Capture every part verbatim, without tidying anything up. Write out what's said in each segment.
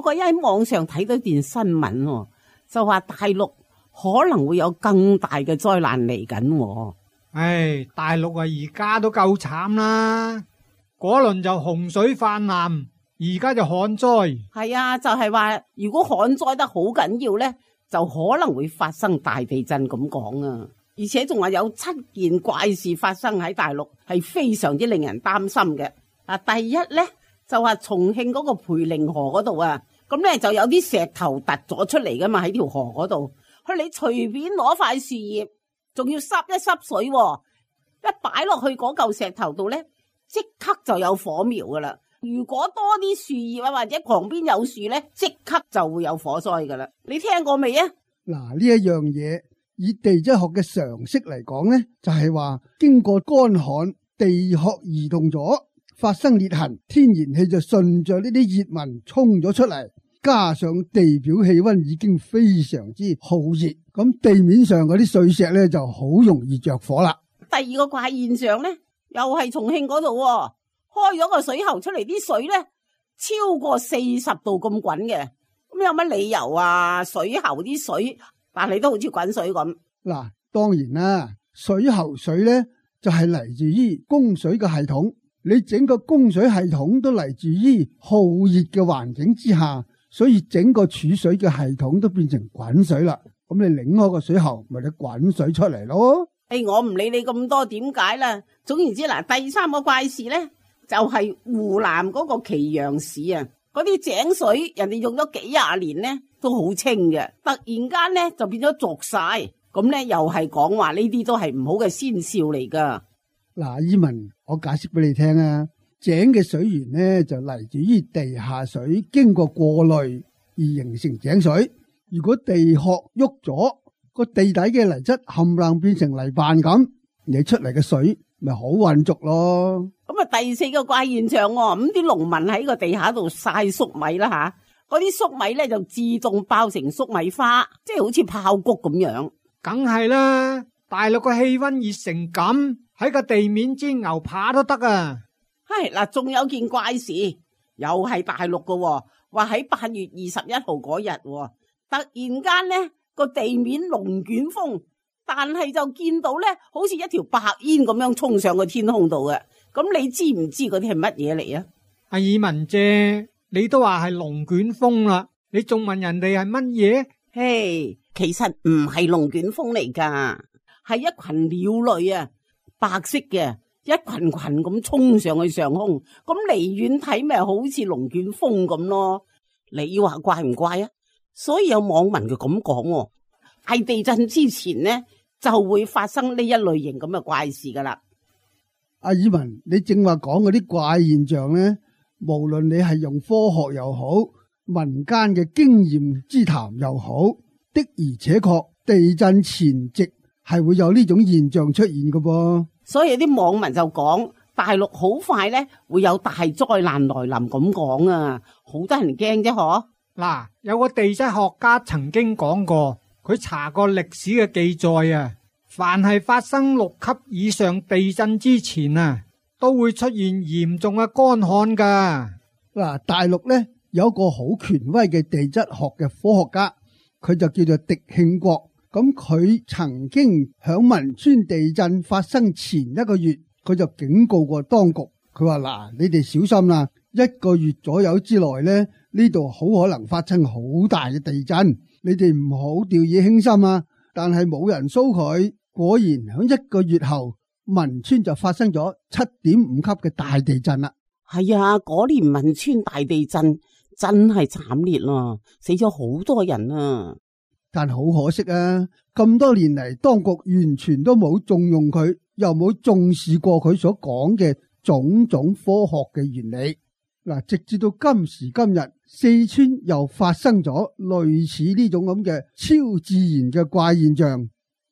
個一喺網上睇到段新聞，就話大陸可能會有更大嘅災難嚟緊。唉，大陸啊，而家都夠慘啦，嗰輪就洪水泛濫，而家就旱災。係啊，就係話如果旱災得好緊要呢，就可能會發生大地震咁講啊！而且仲話有七件怪事發生喺大陸，係非常之令人擔心嘅。嗱，第一呢，就話重慶嗰個培靈河嗰度啊，咁呢就有啲石頭突咗出嚟噶嘛，喺條河嗰度，佢你隨便攞塊樹葉，仲要濕一濕水，一擺落去嗰嚿石頭度呢，即刻就有火苗噶啦。如果多啲樹葉啊，或者旁邊有樹呢，即刻就會有火災噶啦。你聽過未啊？嗱，呢一樣嘢以地質學嘅常識嚟講呢，就係話經過乾旱，地殼移動咗，發生裂痕，天然氣就順着呢啲熱紋衝咗出嚟，加上地表氣溫已經非常之酷熱，咁地面上嗰啲碎石呢就好容易着火啦。第二個怪現象呢，又係重慶嗰度，開咗個水喉出嚟，啲水呢超過四十度咁滾嘅，咁有乜理由啊？水喉啲水，但係都好似滾水咁。嗱，當然啦，水喉水呢就係嚟自於供水嘅系統，你整個供水系統都嚟自於酷熱嘅環境之下，所以整個儲水嘅系統都變成滾水啦。咁你擰開個水喉，咪你滾水出嚟咯。誒，我唔理你咁多點解啦。總言之嗱，第三個怪事呢，就係、是、湖南嗰個祁陽市啊，嗰啲井水人哋用咗幾廿年呢都好清嘅，突然間呢就變咗濁晒，咁呢又係講話呢啲都係唔好嘅先兆嚟噶。嗱，伊文，我解釋俾你聽啊，井嘅水源呢就嚟自於地下水經過過濾而形成井水。如果地殼喐咗，個地底嘅泥質冚唪唥變成泥瓣咁，你出嚟嘅水咪好渾濁咯。咁啊，第四個怪現象，咁啲農民喺個地下度晒粟米啦吓，嗰啲粟米咧就自動爆成粟米花，即係好似爆谷咁樣。梗係啦，大陸個氣溫熱成咁，喺個地面煎牛扒都得啊。係嗱，仲有件怪事，又係大陸噶，話喺八月二十一號嗰日，突然間呢個地面龍捲風，但係就見到咧，好似一條白煙咁樣衝上個天空度嘅。咁你知唔知嗰啲係乜嘢嚟啊？阿爾文姐，你都話係龍捲風啦，你仲問人哋係乜嘢？嘿，其實唔係龍捲風嚟噶，係一群鳥類啊，白色嘅，一群群咁衝上去上空，咁離遠睇咪好似龍捲風咁咯。你話怪唔怪啊？所以有網民就咁講，係地震之前呢就會發生呢一類型咁嘅怪事噶啦。阿爾文，你正話講嗰啲怪現象呢，無論你係用科學又好，民間嘅經驗之談又好，的而且確地震前夕係會有呢種現象出現嘅噃。所以啲網民就講大陸好快呢會有大災難來臨咁講啊，好得人驚啫嗬。嗱，有個地質學家曾經講過，佢查過歷史嘅記載啊，凡係發生六級以上地震之前啊，都會出現嚴重嘅乾旱噶。嗱，大陸呢有一個好權威嘅地質學嘅科學家，佢就叫做狄慶國。咁佢曾經響汶川地震發生前一個月，佢就警告過當局，佢話嗱，你哋小心啦，一個月左右之內呢，呢度好可能發生好大嘅地震，你哋唔好掉以輕心啊！但係冇人騷佢，果然響一個月後，汶川就發生咗七點五級嘅大地震啦。係啊，嗰年汶川大地震真係慘烈啦，死咗好多人啊！但好可惜啊，咁多年嚟，當局完全都冇重用佢，又冇重視過佢所講嘅種種科學嘅原理。嗱，直至到今時今日，四川又發生咗類似呢種咁嘅超自然嘅怪現象，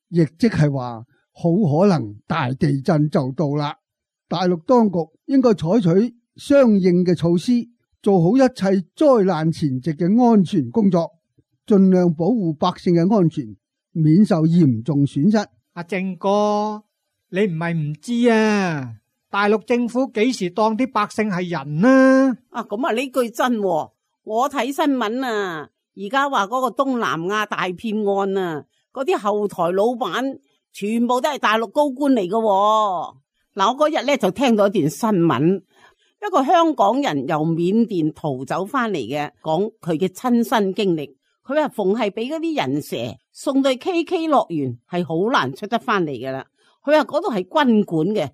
亦即係話好可能大地震就到啦。大陸當局應該採取相應嘅措施，做好一切災難前夕嘅安全工作，盡量保護百姓嘅安全，免受嚴重損失。阿正哥，你唔係唔知啊？大陸政府幾時當啲百姓係人啊？啊，咁啊呢句真喎，我睇新聞啊，而家話嗰個東南亞大騙案啊，嗰啲後台老闆全部都係大陸高官嚟㗎喎。嗱，我嗰日咧就聽到一段新聞，一個香港人由緬甸逃走翻嚟嘅，講佢嘅親身經歷。佢話逢係俾嗰啲人蛇送到 K K 樂園，係好難出得翻嚟噶啦。佢話嗰度係軍管嘅，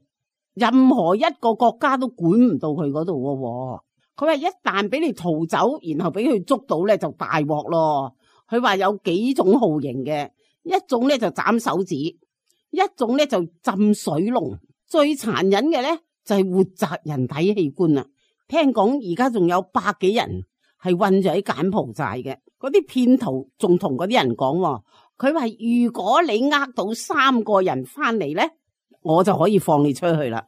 任何一個國家都管唔到佢嗰度喎。佢話一旦俾你逃走，然後俾佢捉到咧，就大鑊咯。佢話有幾種酷刑嘅，一種咧就斬手指，一種咧就浸水龍，最殘忍嘅咧就係活摘人體器官啊！聽講而家仲有百幾人係困咗喺柬埔寨嘅。嗰啲騙徒仲同嗰啲人講，佢話如果你呃到三個人翻嚟咧，我就可以放你出去啦。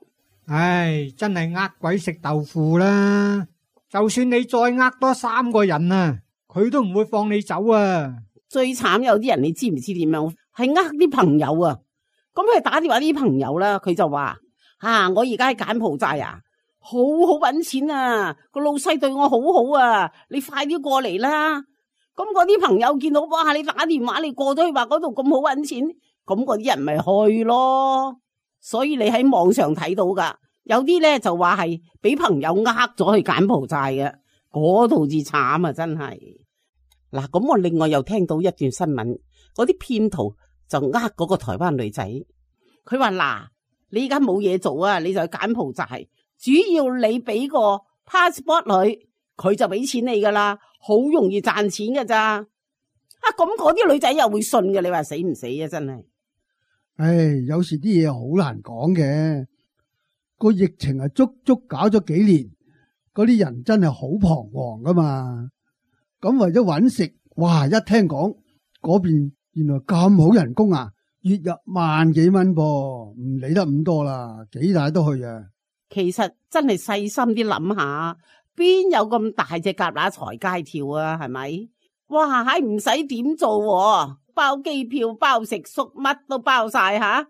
唉，真係呃鬼食豆腐啦！就算你再呃多三個人啊，佢都唔會放你走啊！最慘有啲人你知唔知點樣？係呃啲朋友啊！咁佢打電話啲朋友啦，佢就話：啊，我而家喺柬埔寨啊，好好搵錢啊！個老細對我好好啊，你快啲過嚟啦！咁嗰啲朋友見到，哇！你打電話你過咗去話嗰度咁好搵錢，咁嗰啲人咪去咯。所以你喺網上睇到噶，有啲咧就話係俾朋友呃咗去柬埔寨嘅，嗰度至慘啊！真係。嗱，咁我另外又聽到一段新聞，嗰啲騙徒就呃嗰個台灣女仔，佢話嗱，你而家冇嘢做啊，你就去柬埔寨，主要你俾個 passport 佢，佢就俾錢你噶啦。好容易賺錢㗎咋啊！咁嗰啲女仔又會信嘅，你話死唔死啊？真係，唉，有時啲嘢好難講嘅。個疫情係足足搞咗幾年，嗰啲人真係好彷徨噶嘛。咁為咗搵食，哇！一聽講嗰邊原來咁好人工啊，月入萬幾蚊噃，唔理得咁多啦，幾大都去啊。其實真係細心啲諗下。邊有咁大隻蛤乸隨街跳啊？係咪？哇！係唔使點做，包機票、包食宿，乜都包晒吓，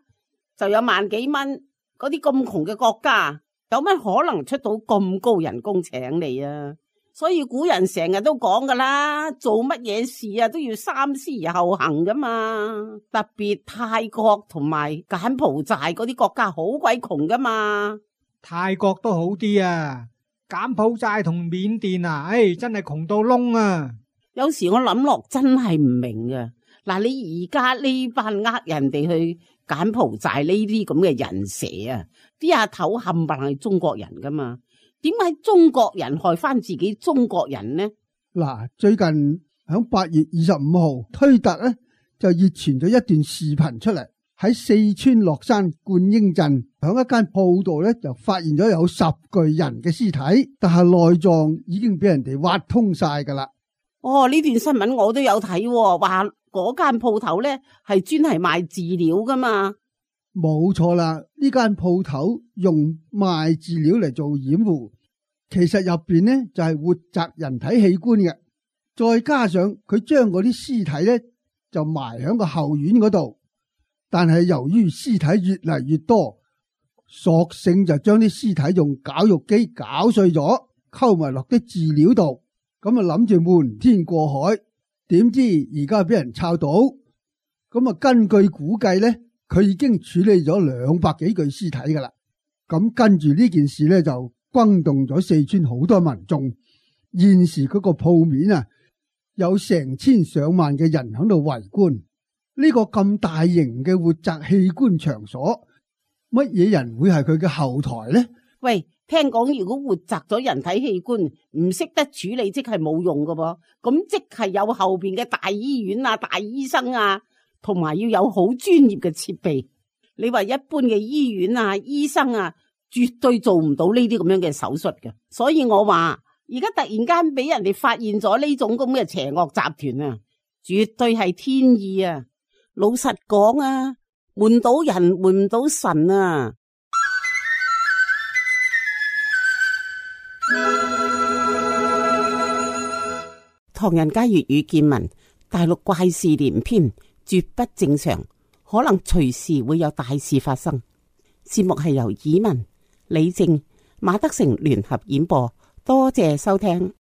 就有萬幾蚊。嗰啲咁窮嘅國家，有乜可能出到咁高人工請你啊？所以古人成日都講噶啦，做乜嘢事啊都要三思而後行噶嘛。特別泰國同埋柬埔寨嗰啲國家好鬼窮噶嘛。泰國都好啲啊。柬埔寨同緬甸啊，唉，真係窮到窿啊！有時我諗落真係唔明啊！嗱，你而家呢班呃人哋去柬埔寨呢啲咁嘅人蛇啊，啲阿頭冚唪唥係中國人噶嘛？點解中國人害翻自己中國人呢？嗱，最近響八月二十五號，推特咧就熱傳咗一段視頻出嚟。喺四川樂山觀音鎮，響一間鋪度咧就發現咗有十具人嘅屍體，但係內臟已經俾人哋挖通晒噶啦。哦，呢段新聞我都有睇，話嗰間鋪頭咧係專係賣飼料噶嘛。冇錯啦，呢間鋪頭用賣飼料嚟做掩護，其實入邊呢就係活摘人體器官嘅，再加上佢將嗰啲屍體咧就埋響個後院嗰度。但係由於屍體越嚟越多，索性就將啲屍體用絞肉機絞碎咗，溝埋落啲飼料度，咁啊諗住瞞天過海，點知而家俾人抄到，咁啊根據估計咧，佢已經處理咗兩百幾具屍體噶啦。咁跟住呢件事咧就轟動咗四川好多民眾，現時嗰個鋪面啊，有成千上萬嘅人喺度圍觀。呢個咁大型嘅活摘器官場所，乜嘢人會係佢嘅後台呢？喂，聽講如果活摘咗人體器官唔識得處理，即係冇用噶噃。咁即係有後邊嘅大醫院啊、大醫生啊，同埋要有好專業嘅設備。你話一般嘅醫院啊、醫生啊，絕對做唔到呢啲咁樣嘅手術嘅。所以我話而家突然間俾人哋發現咗呢種咁嘅邪惡集團啊，絕對係天意啊！老實講啊，瞞到人瞞唔到神啊！唐人街粵語見聞，大陸怪事連篇，絕不正常，可能隨時會有大事發生。節目係由以文、李正、馬德成聯合演播，多謝收聽。